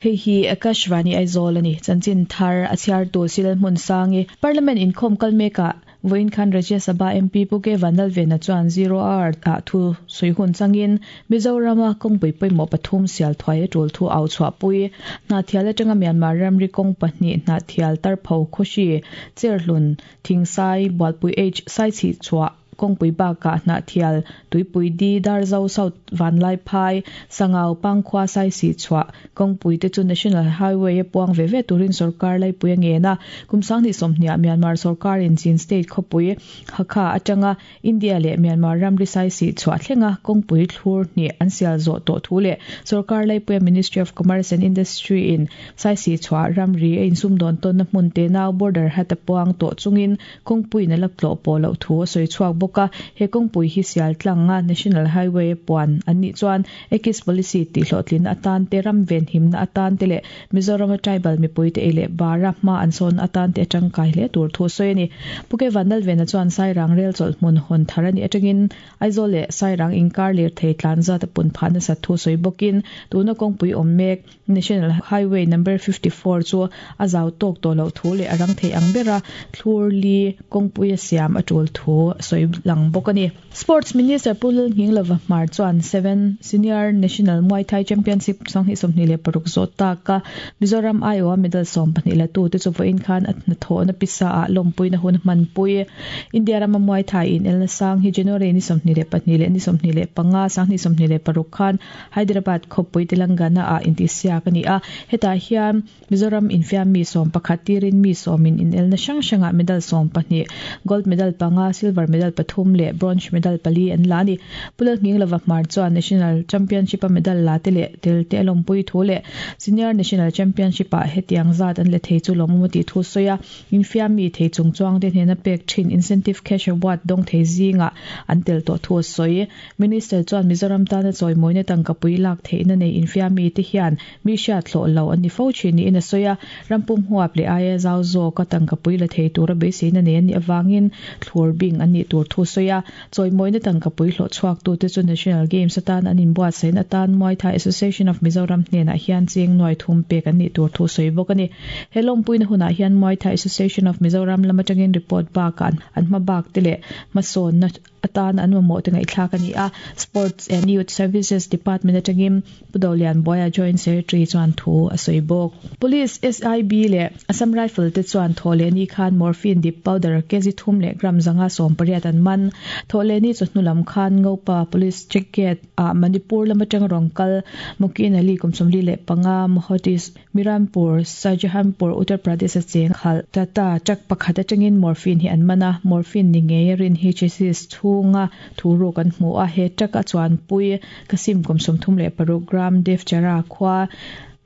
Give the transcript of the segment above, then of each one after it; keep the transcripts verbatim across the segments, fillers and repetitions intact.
Hei hi Akashvani Aizawl ani chanchin thar a chhiar tu silal hmun sangi Parliament inkhawm kal meka voin khan Rajya Sabha M P Puke Vanlalvena chuan zero hour ah thu suihun changin Mizorama kawngpui pawimawh pathum sial thuai a tul thu au chhuah pui Hnahthial atanga Myanmar ramri kawng pahnih Hnahthial Tarpho Khawhri Cherhlun Thingsai Bualpui H Saichhihchhuah kawngpui bakah Hnahthial Tuipui D Darzo South Vanlaiphai Sangau Pangkhua Saisihchhuah kawngpui te chu National Highway a puang ve ve turin sorkar laipui a ngen a kum sanghnih sawmhniah Myanmar sorkar in Chin State khawpui Hakha atanga India leh Myanmar ramri Saisihchhuah thlenga kawngpui thlur hnih an sial zawh tawh thu leh sorkar laipuia Ministry of Commerce and Industry in Saisihchhuah ramri a insumdawn tawnna hmun te nau border hat a puang tawh chungin kawngpuiin a la tlawh pawh loh thu a sawi chhuak bawk a he kawngpui hi sial tlanga National Highway puan an nih chuan Act East Policy tih hlawhtlin atan te ram ven himna atan te leh Mizorama tribal mipui te ei leh bara hma an sawn atan te atangkai hle tur thu sawi ani Puke Vanlalvena chuan Sairang rel chawlh hmun hawn thar ani atangin Aizawl leh Sairang inkar lir thei tlan zat a pun phah nasa thu sawi bawkin tuna kawngpui awm mek National Highway number fifty four chu a zau tawk tawh loh thu leh a rang thei ang bera thlur li kawngpui a siam a tul thu sawi lang bawk ani Sports Minister Pu Lalnghinglova Hmar chuan seven Senior National Muay Thai Championship sanghnih sawmhnih leh paruk zawh taka Mizoram aiawh a medal sawm pahnih la tu te chu vawiin khan a hnathawhna pisa ah lawmpuina hun hmanpui India rama Muay Thai in elna sang hi January ni sawmhnih leh pahnih leh ni sawmhnih leh panga sanghnih sawmhnih leh paruk khan Hyderabad khawpui Telangana ah intihsiak ani a hetah hian Mizoram infiam mi sawm pakhat tirin mi sawmin in elna hrang hrangah medal sawm pahnih gold medal panga silver medal pathum leh bronze medal pali an la ani Pu Lalnghinglova Hmar chuan National Championship a medal la te leh tel te a lawmpui thu leh Senior National Championship ah hetiang zat an le thei chu lawmawm a tih thu sawi a infiam mi thei chung chuang te hnena pek thin incentive cash award dawng thei zingah an tel tawh thu a sawi Minister chuan Mizoram tana chawimawina tangkapui lak theihna nei infiam mi te hian mi hriat hlawh lo an ni fo thin niin a sawi a rampum huap leh aia zau zawk a tangkapui la thei tura beiseina nei an nih awangin thlur bing an nih tur thu sawi a chawimawina tangkapui hlawh chhuak tu te chu National Games atan an inbuatsaihna atan Muay Thai Association of Mizoram hnenah hian cheng nuai thum pek an nih tur thu sawi bawk ani he lawmpuina hunah hian Muay Thai Association of Mizoram lam atangin report bakah an hma bak te leh hmasawnna atan an mamawh te ngaihthlak ani a Sports and Youth Services Department atangin Pu Dolian Boya Joint Secretary chuan thu a sawi bawk Police S I B leh Assam Rifle te chuan thawhlehni khan morphine dip powder kg thum leh gram zanga sawm pariat an man thawhlehni chu hnulam khan Ngopa Police check gate a Manipur lam atang rawng kal Mukin Ali kum sawmli leh panga Mohotis Mirampur Shahjahanpur Uttar Pradesh a cheng khal tata truck pakhat atangin morphine hi an mana morphine ni ngei rin hi chassis chhunga thu kan hmu a he truck a chuan pui kasim kum sawmthum leh paruk gram Devchara khwa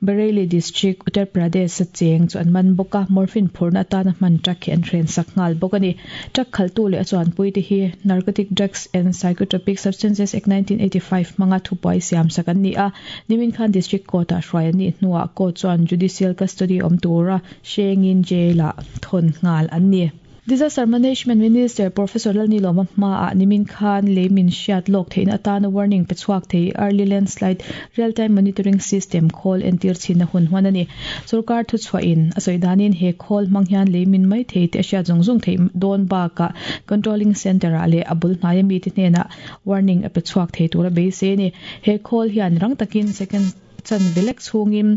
Bareilly District Uttar Pradesh a cheng chu an man bawk a morphine phurna atana hman truck hi an hren sak nghal bawk ani truck khaltu leh a chuan pui te hi Narcotic Drugs and Psychotropic Substances Act nineteen eighty-five hmanga thupuai siam sak an ni a nimin khan District Court ah hruai an nih hnuah court chuan judicial custody awm tura hrengin jail ah thawn nghal an ni. Disaster Management Minister Professor Lalnilawma hma ah nimin khan leimin hriat lawk theihna atana warning pe chhuak thei early landslide real time monitoring system khawl entir chhin a hun hman ani sarkar thu chhuahin a sawi danin he khawl hmang hian leimin mai thei te a hriat zawng zawng thei dawn bakah controlling center ah leh a bul hnai ami te hnenah warning a pe chhuak thei tur a beisei ani he khawl hian rang takin second chan velek chhungin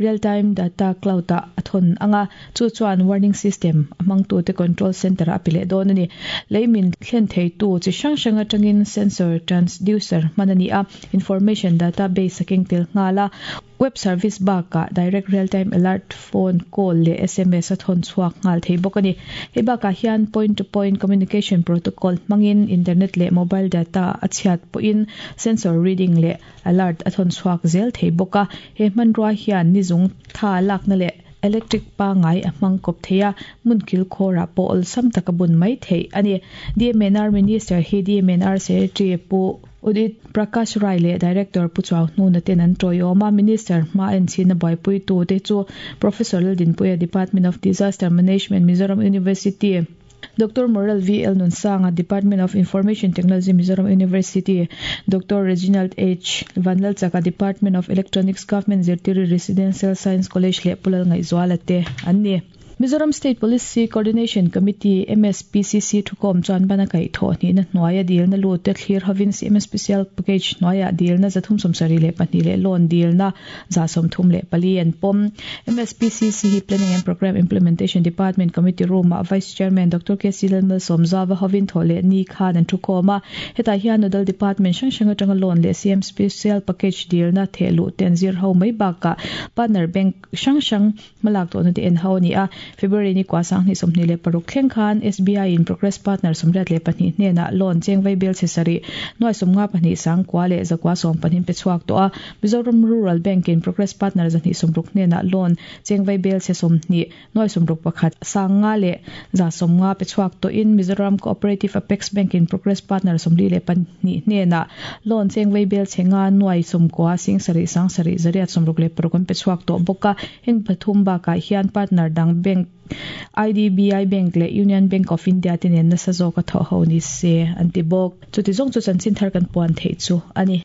real time data cloud ah a thawn anga chu chuan warning system a hmangtu te control center ah a pe leh dawn ani leimin thlen thei tu chi hrang hrang atangin sensor transducer hman ani a information database a keng tel nghal a web service bakah direct real time alert phone call leh S M S a thawn chhuak nghal thei bawk ani hei bakah hian point to point communication protocol hmangin internet leh mobile data a chhiat pawhin sensor reading leh alert a thawn chhuak zel thei bawk a he hmanrua hian nizung tha lakna leh electric pangai a hmang kawp thei a hmun kil khawrah pawh awlsam taka bun mai theih ani D M N R Minister hi D M N R Secretary Pu Udit Prakash Rai leh Director Pu Chuau hnuna ten an tawiawm a Minister hma en chhin a buaipui tu te chu Professor Laldinpuia, Department of Disaster Management, Mizoram University. Doctor Morel V L Nunsanga, Department of Information Technology, Mizoram University, Doctor Reginald H Vanlalchaka, Department of Electronics, Government Zirtiri Residential Science College leh Pulal Ngaihzuala te an ni. Mizoram State Policy Coordination Committee M S P C C thukom chuan bana kai tho ni na hnuaia dil na lu te thlir hovin C M Special Package hnuaia dil na zathum sawmsarih leh pahnih leh loan dil na za sawmthum leh pali an pawm. M S P C C hi Planning and Program Implementation Department Committee Room ah Vice Chairman Doctor K C Lalmalsawmzawa hovin tho leh ni khan an thukom a. Hetah hian Nodal Department hrang hrang atanga loan leh C M Special Package dil na theh luh te an zir ho mai bakah partner bank hrang hrang hmalak tawhna te en ho a ni a. February ni kwa sang ni sawmhnih leh paruk thleng khan S B I in Progress Partner sawmriat leh pahnih hnenah loan cheng vai bel chesari nuai sawmnga pahnih sang kwa leh zakwa sawm pahnih pe chhuak tawh a. Mizoram Rural Bank in Progress Partner zahnih sawmruk hnenah loan cheng vai bel che sawmhnih nuai sawmruk pakhat sanga leh za sawmnga pe chhuak tawh in Mizoram Cooperative Apex Bank in Progress Partner sawmli leh pahnih hnenah loan cheng vai bel chenga nuai sawmkua sing sarih sang sarih zariat sawmruk leh paruk an pe chhuak tawh bawk a. Heng pathum bakah hian partner dang bank I D B I Bank leh Union Bank of India te nen nasa zawk a thawh ho ni se an ti bawk. Chuti zawng chu chanchin thar kan puan theih chu a ni.